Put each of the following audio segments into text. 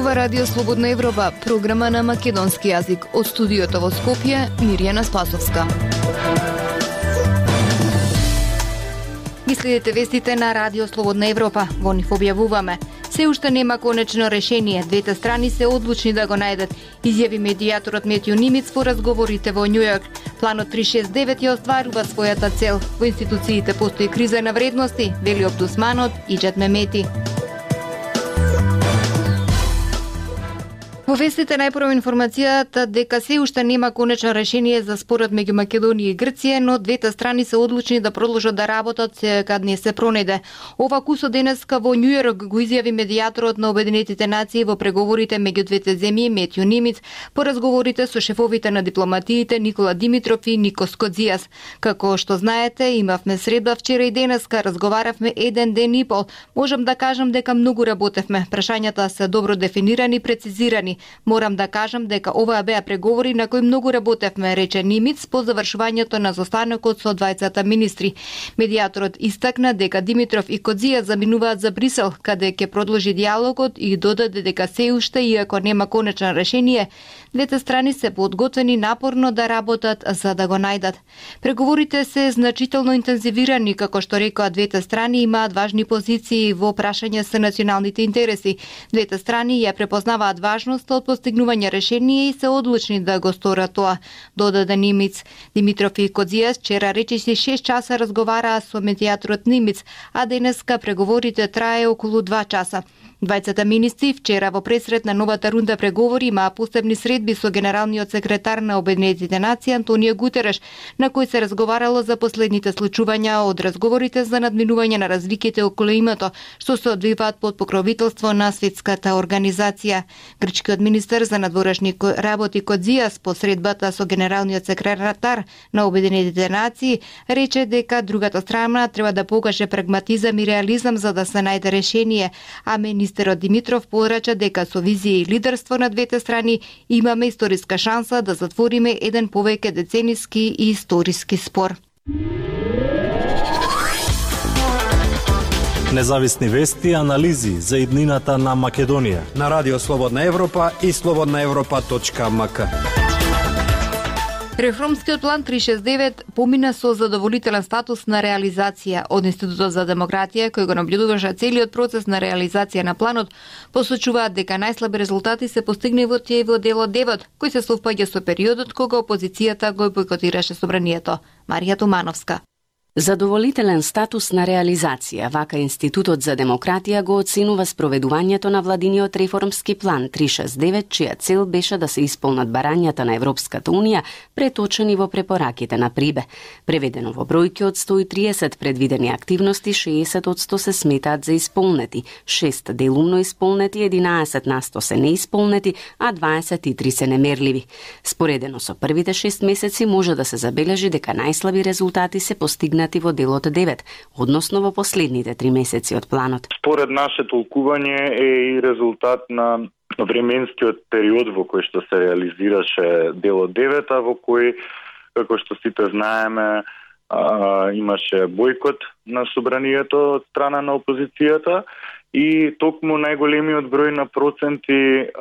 Ова Радио Слободна Европа, програма на македонски јазик. Од студиото во Скопје, Мирјана Спасовска. Ги следите вестите на Радио Слободна Европа. Во нив објавуваме: се уште нема конечно решение, двете страни се одлучни да го најдат, изјави медијаторот Метју Нимиц во разговорите во Њујорк. Планот 369 ја остварува својата цел. Во институциите постои криза на вредности, вели омбудсманот Иџет Мемети. Во вестите најпрво информацијата дека се уште нема конечно решение за спорот меѓу Македонија и Грција, но двете страни се одлучни да продолжат да работат кад не се пронајде. Ова кусо денеска во Њујорк го изјави медијаторот на Обединетите нации во преговорите меѓу двете земји Метју Нимиц по разговорите со шефовите на дипломатиите Никола Димитров и Никос Кодзијас. Како што знаете, имавме среда вчера и денеска, разговаравме еден ден и пол. Можам да кажам дека многу работевме. Прашањата се добро дефинирани и прецизирани. Морам да кажам дека оваа беа преговори на кои многу работевме, рече Нимиц по завршувањето на застанокот со двајцата министри. Медијаторот истакна дека Димитров и Кодзија заминуваат за Брисел, каде ќе продолжи диалогот и додаде дека се уште, иако нема конечно решение, двете страни се подготвени напорно да работат за да го најдат. Преговорите се значително интензивирани, како што рекоа двете страни имаат важни позиции во прашање со националните интереси. Двете страни ја препознаваат важност од постигнување решение и се одлучни да го сторат тоа, додаде Нимиц. Димитров и Кодзијас вчера речиси 6 часа разговараа со медијаторот Нимиц, а денеска преговорите трае околу 2 часа. Двајцата министри вчера во пресрет на новата рунда преговори имаа посебни средби со генералниот секретар на Обединетите нации Антонио Гутереш, на кој се разговарало за последните случувања од разговорите за надминување на развитите околу името, што се одвиваат под покровителство на Светската организација. Грчкиот министер за надворешни работи Кодзијас по средбата со генералниот секретар на Обединетите нации рече дека другата страна треба да покаже прагматизам и реализам за да се најде решение, а министерот Димитров порача дека со визија и лидерство на двете страни имаме историска шанса да затвориме еден повеќе децениски и историски спор. Независни вести и анализи за иднината на Македонија на Радио Слободна Европа и slobodnaevropa.mk. Реформскиот план 369 помина со задоволителен статус на реализација. Од Институтот за демократија, кој го наблюдуваше целиот процес на реализација на планот, посочуваат дека најслаби резултати се постигне во делот 9, кој се совпаѓа со периодот кога опозицијата го бойкотираше собранието. Марија Тумановска. Задоволителен статус на реализација, вака Институтот за демократија го оценува спроведувањето на владиниот реформски план 369, чија цел беше да се исполнат барањата на Европската Унија, преточени во препораките на Прибе. Преведено во бројки, од 130 предвидени активности, 60% се сметаат за исполнети, 6 делумно исполнети, 11% се неисполнети, а 23 се немерливи. Споредено со првите 6 месеци може да се забележи дека најслаби резултати се постигнати во делот 9, односно во последните 3 месеци од планот. Според наше толкување е и резултат на временскиот период во кој што се реализираше делот 9, во кој, како што сите знаеме, имаше бойкот на собранието од страна на опозицијата и токму најголемиот број на проценти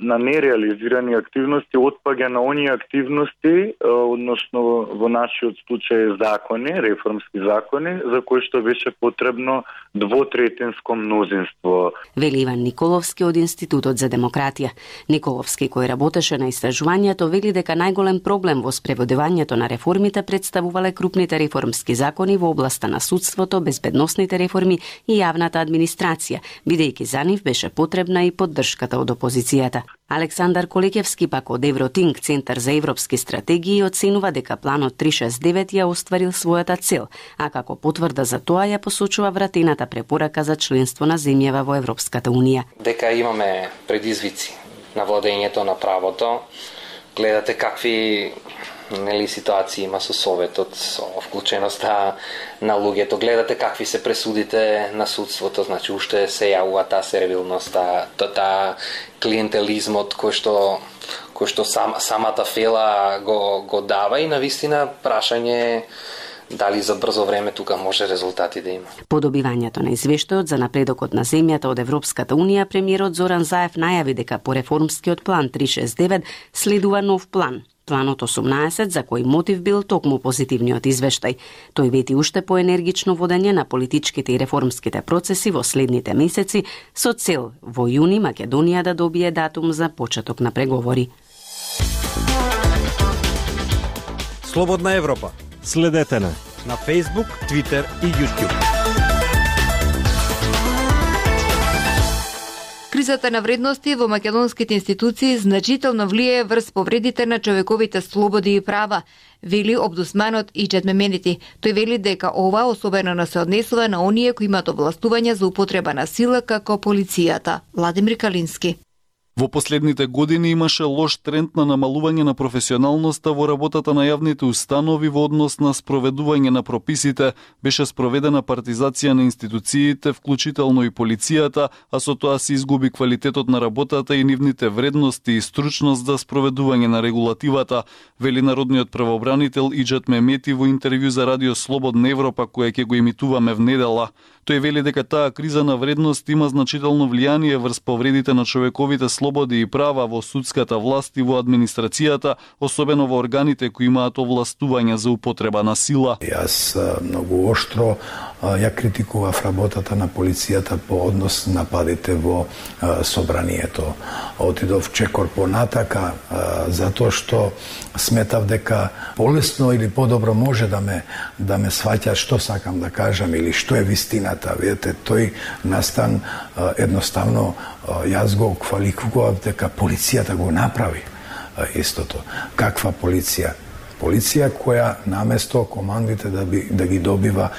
на нереализирани активности отпаѓа на оние активности, односно во нашиот случај закони, реформски закони, за кои што беше потребно двотретинско мнозинство. Вели Иван Николовски од Институтот за демократија. Николовски, кој работеше на истражувањето, вели дека најголем проблем во спроведувањето на реформите представувале крупните реформски закони во областа на судството, безбедносните реформи и јавната администрација, бидејќи за нив беше потребна и поддршката од опозицијата. Александар Колекевски пак од Евротинг, Центар за европски стратегии, оценува дека планот 369 ја остварил својата цел, а како потврда за тоа ја посочува вратената препорака за членство на земјава во Европската Унија. Дека имаме предизвици на владењето на правото, гледате какви ситуации има со Советот, со вклученоста на луѓето, гледате какви се пресудите на судството, значи уште се јавува таа сервилност, таа клиентелизмот кој што самата фела го дава и навистина прашање дали за брзо време тука може резултати да има. По добивањето на извештајот за напредокот на земјата од Европската унија, премиерот Зоран Заев најави дека по реформскиот план 369 следува нов план. Планот 18, за кој мотив бил токму позитивниот извештај. Тој вети уште поенергично водење на политичките и реформските процеси во следните месеци со цел во јуни Македонија да добие датум за почеток на преговори. Слободна Европа. Следете на Facebook, Twitter и YouTube. Кризата на вредности во македонските институции значително влијае врз повредите на човековите слободи и права, вели омбудсманот Иџет Меменити. Тој вели дека ова особено се однесува на оние кои имаат овластување за употреба на сила како полицијата. Владимир Калински. Во последните години имаше лош тренд на намалување на професионалноста во работата на јавните установи во однос на спроведување на прописите, беше спроведена партизација на институциите, вклучително и полицијата, а со тоа се изгуби квалитетот на работата и нивните вредности и стручност за спроведување на регулативата, вели народниот правобранител Иџет Мемети во интервју за Радио Слободна Европа која ќе го имитуваме внедела. Тој вели дека таа криза на вредност има значително влијание врз повредите на човековите слободи и права во судската власт и во администрацијата, особено во органите кои имаат овластување за употреба на сила. Јас многу оштро ја критикував работата на полицијата по однос на нападите во собранието. Отидов чекор понатака затоа што сметав дека полесно или подобро може да ме сваќа што сакам да кажам или што е вистината. Видете, тој настан едноставно јас го квалификував дека полицијата го направи истото. Каква полиција? Полиција која наместо командите да ги добива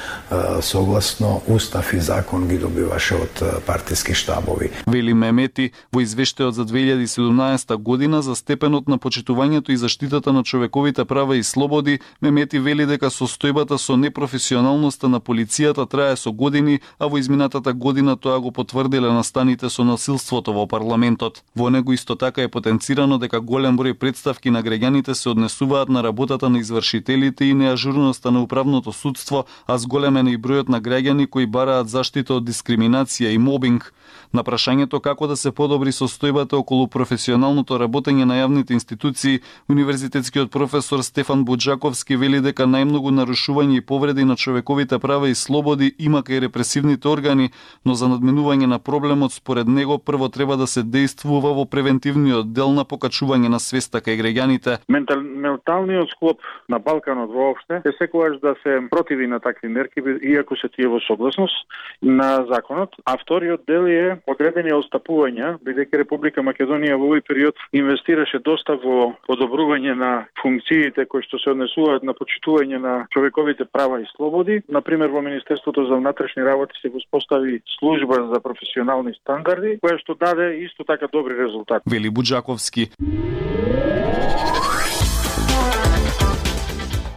согласно устав и закон ги добиваше од партиски штабови. Вели Мемети во извештајот за 2017 година за степенот на почитувањето и заштитата на човековите права и слободи, Мемети вели дека состојбата со непрофесионалноста на полицијата трае со години, а во изминатата година тоа го потврдиле настаните со насилството во парламентот. Во него исто така е потенцирано дека голем број претставки на граѓаните се однесуваат на работата на извршителите и неажурноста на управното судство, а зголемен е и бројот на граѓани кои бараат заштита од дискриминација и мобинг. На прашањето како да се подобри состојбата околу професионалното работење на јавните институции, универзитетскиот професор Стефан Буџаковски вели дека најмногу нарушување и повреди на човековите права и слободи има кај репресивните органи, но за надминување на проблемот според него прво треба да се дејствува во превентивниот дел на покачување на свеста кај граѓаните. Менталниот склоп на Балканот воопште е секогаш да се противи на такви мерки, иако се тие во согласност на законот, а вториот дел е одредени отстапувања, бидејќи Република Македонија во овој период инвестираше доста во подобрување на функциите кои што се однесуваат на почитување на човековите права и слободи. Например, во Министерството за внатрешни работи се го спостави служба за професионални стандарди, која што даде исто така добри резултати. Вели Буџаковски.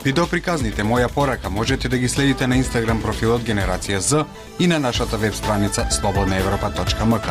Видеоприказните Моја порака можете да ги следите на Инстаграм профилот Генерација З и на нашата веб страница slobodnaevropa.mk.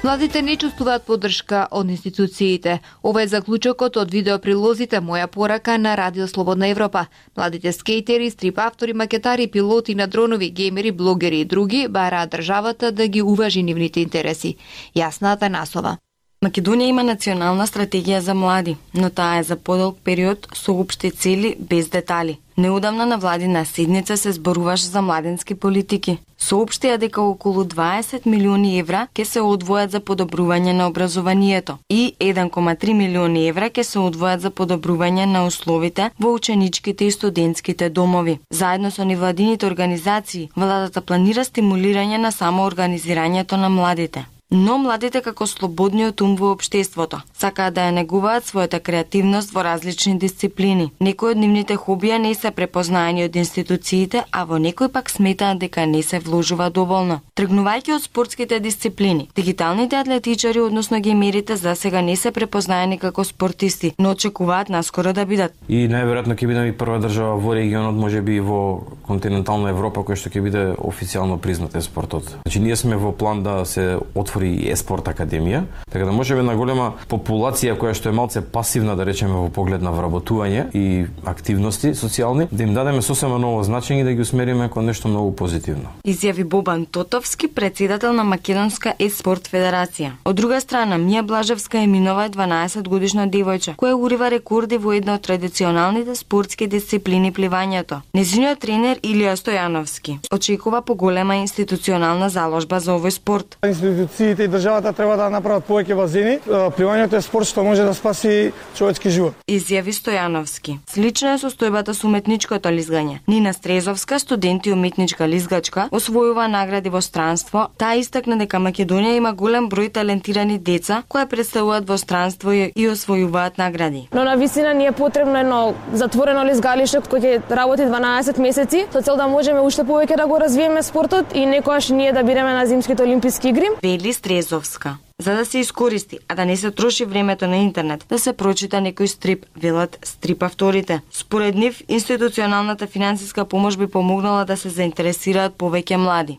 Младите не чувствуваат поддршка од институциите. Ова е заклучокот од видеоприлозите Моја порака на Радио Слободна Европа. Младите скейтери, стрип автори, макетари, пилоти на дронови, геймери, блогери и други бараат државата да ги уважи нивните интереси. Јасна Атанасова. Македонија има национална стратегија за млади, но таа е за подолг период со општи цели без детали. Неодамна на владина седница се зборуваше за младенски политики. Соопштија дека околу 20 милиони евра ќе се одвојат за подобрување на образованието и 1,3 милиони евра ќе се одвојат за подобрување на условите во ученичките и студентските домови. Заедно со невладините организации, владата планира стимулирање на самоорганизирањето на младите. Но младите како слободниот ум во општеството сакаат да ја негуваат својата креативност во различни дисциплини. Некои од нивните хобија не се препознаени од институциите, а во некои пак сметаат дека не се вложува доволно. Тргнувајќи од спортските дисциплини, дигиталните атлетичари, односно геймерите, за сега не се препознаени како спортисти, но очекуваат наскоро да бидат. И најверојатно ќе бидеме и прва држава во регионот, можеби и во континентална Европа, која што ќе биде официјално признат спортот. Значи ние сме во план да се отвори отвори еспорт академија, така да можеби една голема популација која што е малце пасивна, да речеме, во поглед на вработување и активности социјални, да им дадеме сосема ново значење и да ги усмериме кон нешто многу позитивно. Изјави Бобан Тотовски, председател на Македонска еспорт федерација. Од друга страна, Мија Блажевска е минова 12-годишна девојче, која урива рекорди во една од традиционалните спортски дисциплини пливањето. Нејзиниот тренер Илија Стојановски очекува поголема институционална заложба за овој спорт. Институциите и државата треба да направат повеќе базени. Пливањето е спорт што може да спаси човечки живот. Изјави Стојановски. Слична е состојбата со уметничкото лизгање. Нина Стрезовска, студент и уметничка лизгачка, освојува награди во странство. Таа истакна дека Македонија има голем број талентирани деца кои представуваат во странство и освојуваат награди. Но на висина ни е потребно едно затворено лизгалиште кој ќе работи 12 месеци со цел да можеме уште повеќе да го развиеме спортот и некогаш ние да бидеме на зимските олимписки игри. Вели Стрезовска. За да се искористи, а да не се троши времето на интернет, да се прочита некој стрип, велат стрип авторите. Според нив, институционалната финансиска помош би помогнала да се заинтересираат повеќе млади.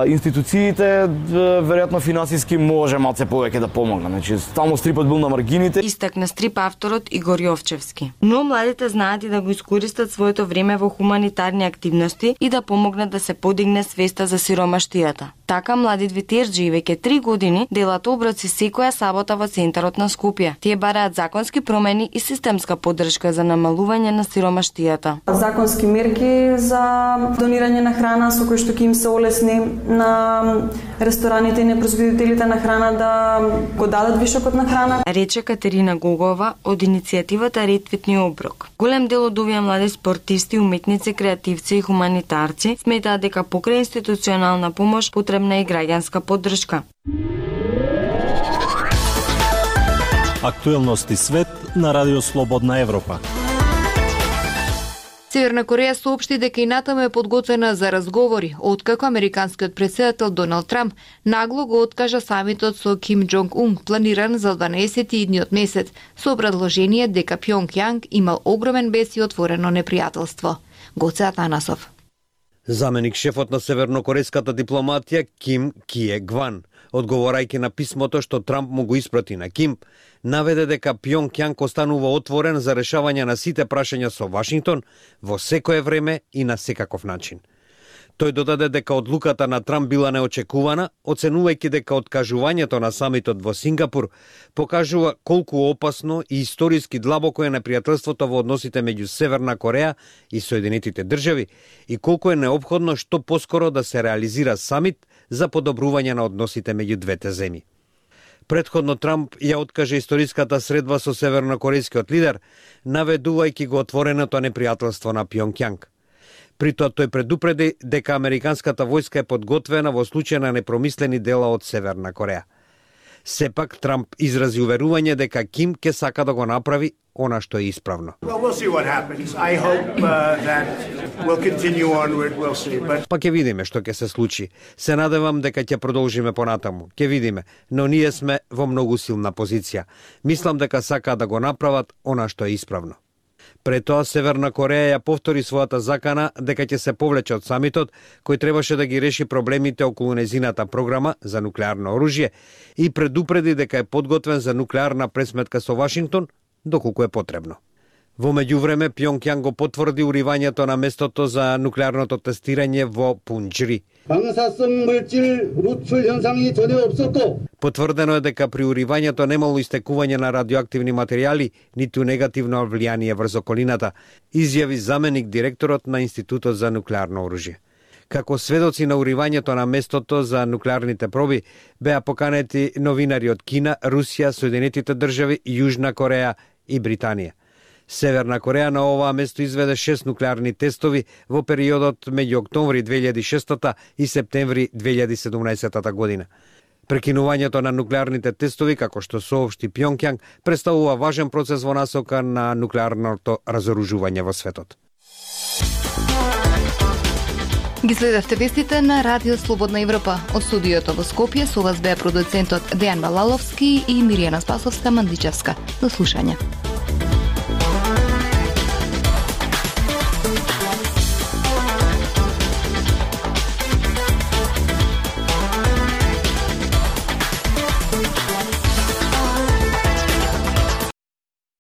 Институциите веројатно финансиски може малце повеќе да помогнат. Значи, стално стрипот бил на маргините. Истакна стрип авторот Игор Јовчевски. Но младите знаат и да го искористат своето време во хуманитарни активности и да помогнат да се подигне свеста за сиромаштијата. Така млади двитерџи веќе 3 години делат оброци секоја сабота во центарот на Скопје. Тие бараат законски промени и системска поддршка за намалување на сиромаштијата. Законски мерки за донирање на храна со кои што ќе им се олесни на рестораните и непроизводителите на храна да го дадат вишокот на храна. Рече Катерина Гогова од иницијативата Ретвитни оброк. Голем дел од овие млади спортисти, уметници, креативци и хуманитарци сметаат дека покрај институционална помош потребна е граѓанска поддршка. Актуелности свет на Радио Слободна Европа. Северна Кореја соопшти дека и натаму е подготвена за разговори, откако американскиот претседател Доналд Трамп нагло го откажа самитот со Ким Џонг Ун, планиран за 12 идниот месец, со предложение дека Пјонг имал огромен бес и отворено непријателство. Гоце Атанасов. Заменик шефот на севернокорејската дипломатија Ким Кие Гван, одговорајќи на писмото што Трамп му го испрати на Ким, наведе дека Пјонг останува отворен за решавање на сите прашања со Вашингтон во секое време и на секаков начин. Тој додаде дека одлуката на Трамп била неочекувана, оценувајќи дека откажувањето на самитот во Сингапур покажува колку опасно и историски длабоко е непријателството во односите меѓу Северна Кореја и Соединетите држави и колку е неопходно што поскоро да се реализира самит за подобрување на односите меѓу двете земји. Претходно Трамп ја откаже историската средба со севернокорејскиот лидер, наведувајќи го отвореното непријателство на Пјонг. При тоа тој предупреди дека американската војска е подготвена во случај на непромислени дела од Северна Кореја. Сепак Трамп изрази уверување дека Ким ќе сака да го направи она што е исправно. Па ќе видиме што ќе се случи. Се надевам дека ќе продолжиме понатаму. Ќе видиме, но ние сме во многу силна позиција. Мислам дека сака да го направат она што е исправно. Пред тоа Северна Кореја ја повтори својата закана дека ќе се повлече од самитот, кој требаше да ги реши проблемите околу незината програма за нуклеарно оружје и предупреди дека е подготвен за нуклеарна пресметка со Вашингтон доколку е потребно. Во меѓувреме Пјонг го потврди уривањето на местото за нуклеарното тестирање во Пунџри. Потврдено е дека при уривањето немало истекување на радиоактивни материјали, ниту негативно влијание врз околината, изјави заменик директорот на Институтот за нуклеарно оружје. Како сведоци на уривањето на местото за нуклеарните проби беа поканети новинари од Кина, Русија, Соединетите држави, Јужна Кореја и Британија. Северна Кореја на оваа место изведе 6 нуклеарни тестови во периодот меѓу октомври 2006 и септември 2017 година. Прекинувањето на нуклеарните тестови, како што соопшти Пјонг, представува важен процес во насока на нуклеарното разоружување во светот. Ги следевте вестите на Радио Слободна Европа. Од студиото во Скопје со вас беа продуцентот Дејан Балаловски и Миријана Спасовска-Мандичевска. До слушање.